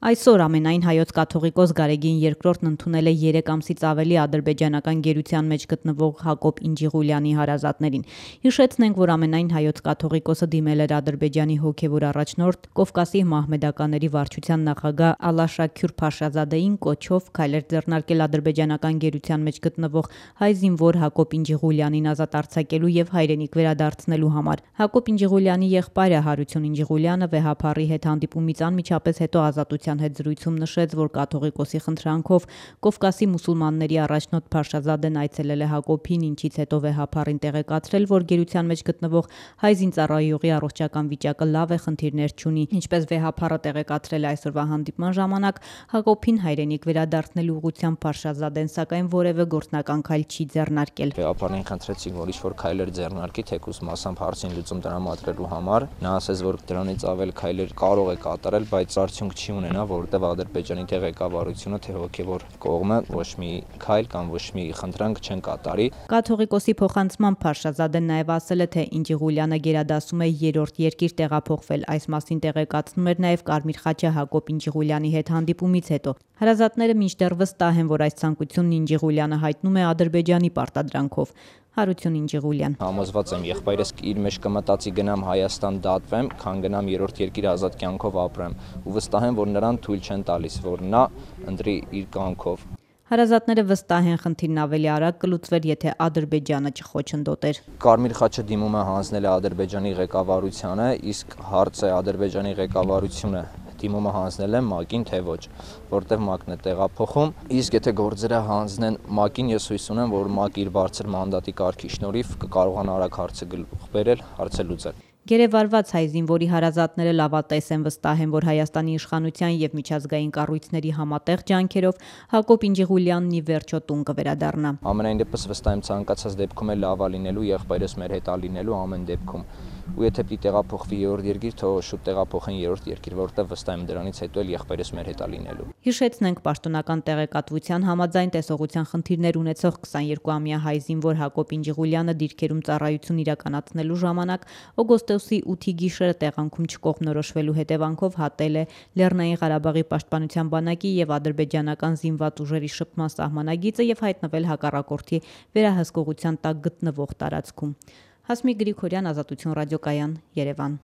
Այսօր ամենայն հայոց կաթողիկոս Գարեգին II-ն ընդունել է 3 ամսից ավելի ադրբեջանական գերության մեջ գտնվող Հակոբ Ինջիղուլյանի հարազատներին։ Հիշեցնենք, որ ամենայն հայոց կաթողիկոսը դիմել էր Ադրբեջանի հոգևոր առաջնորդ Կովկասի մահմեդականների վարչության նախագահ Ալաշաքյուր Փաշազադեին կոչով քայլեր ձեռնարկել ադրբեջանական գերության մեջ գտնվող հայ զինվոր Հակոբ Ինջիղուլյանին ազատ արձակելու եւ հայրենիք վերադարձնելու համար։ Հակոբ Ինջիղուլյանի եղբայրը Հարություն Ինջիղուլյանը վեհափառի հետ հանդիպումից անմիջապես հետո ազատության հետ զրույցում նշեց, որ կաթողիկոսի խնդրանքով Կովկասի մուսուլմանների առաջնորդ Փաշազադեն այցելել է Հակոբին, ինչից հետո վեհափառին տեղեկացրել, որ գերության մեջ գտնվող հայ զինծառայողի առողջական վիճակը լավ է, խնդիրներ չունի։ Ինչպես վեհափառը տեղեկացրել է այսօրվա հանդիպման ժամանակ, Հակոբին հայրենիք վերադարձնելու ուղղությամբ Փաշազադեն սակայն որևէ գործնական քայլ չի ձեռնարկել։ Վեհափառին խնդրեցին, որ ինչ-որ քայլեր ձեռնարկի, թեկուզ մասամբ հարցին լուծում տրամադրելու համար։ Նա ասաց, որ դրանից ավել քայլեր կարող է կատարել, բայց արդյունք չի ունենա, որտեղ Ադրբեջանի ղեկավարությունը թե հոգևոր կողմը ոչ մի քայլ կամ ոչ մի խնդրանք չեն կատարի։ Կաթողիկոսի փոխանցմամբ Փաշազադեն նաև ասել է, թե Ինջիղուլյանը գերադասում է երրորդ երկիր տեղափոխվել։ Այս մասին տեղեկացնում էր նաև Կարմիր խաչը Հակոբ Ինջիղուլյանի հետ հանդիպումից հետո։ Հարազատները մինչդեռ վստահ են, որ այս ցանկությունն Ինջիղուլյանը հայտնում է Ադրբեջանի պարտադրանքով։ Հարություն Ինջիղուլյան. Համոզված եմ, եղբայրս իր մեջ կմտածի գնամ Հայաստան դատվեմ, քան գնամ երրորդ երկիր ազատ կյանքով ապրեմ, ու վստահ եմ, որ նրան թույլ չեն տալիս, որ նա ընտրի իր կյանքով։ Հարազատները վստահ են, խնդիրն ավելի արագ կլուծվեր, եթե Ադրբեջանը չխոչընդոտեր։ Կարմիր խաչը դիմումը հանձնել է Ադրբեջանի ղեկավարությանը, իսկ հարցը Ադրբեջանի ղեկավարությունը դիմումը հանձնել է ՄԱԿ-ին, թե ոչ, որտեղ ՄԱԿ-ն է տեղափոխում, իսկ եթե գործերը հանձնեն ՄԱԿ-ին, ես հույս ունեմ, որ ՄԱԿ-ը իր բարձր մանդատի կարգի շնորհիվ կկարողանա արագ հարցը գլուխ բերել, հարցը լուծել։ Գերեվարված հայ զինվորի հարազատները լավատես են, վստահ են, որ Հայաստանի իշխանության եւ միջազգային կառույցների համատեղ ջանքերով Հակոբ Ինջիղուլյանն ի վերջո տուն կվերադառնա։ Ամենայն դեպս վստահ եմ, ցանկացած դեպքում է լավա լինելու, եղբայրս մեր հետ ալինելու ամեն դեպքում։ Ու եթե պիտի տեղափոխվի երրորդ երկիր, թող շուտ տեղափոխեն երրորդ երկիր, որտեղ վստահ եմ դրանից հետո էլ եղբայրս մեր հետ ալինելու։ Հիշեցնենք, պաշտոնական տեղեկատվության համաձայն տեսողության խնդիրներ ունեցող 22-ամյա հայ զինվոր Հակոբ Ինջիղուլյանը դիրքերում ծառայություն իրականացնելու ժամանակ օգոստոսի 8-ի գիշերը տեղանքում չկողմնորոշվելու հետևանքով հատել է Լեռնային Ղարաբաղի պաշտպանության բանակի եւ ադրբեջանական զինված ուժերի շփման սահմանագիծը եւ հայտնվել հակառակորդի վերահսկողության տակ գտնվող տարածքում։ Հասմիկ Գրիգորյան, Ազատություն ռադիոկայան, Երևան։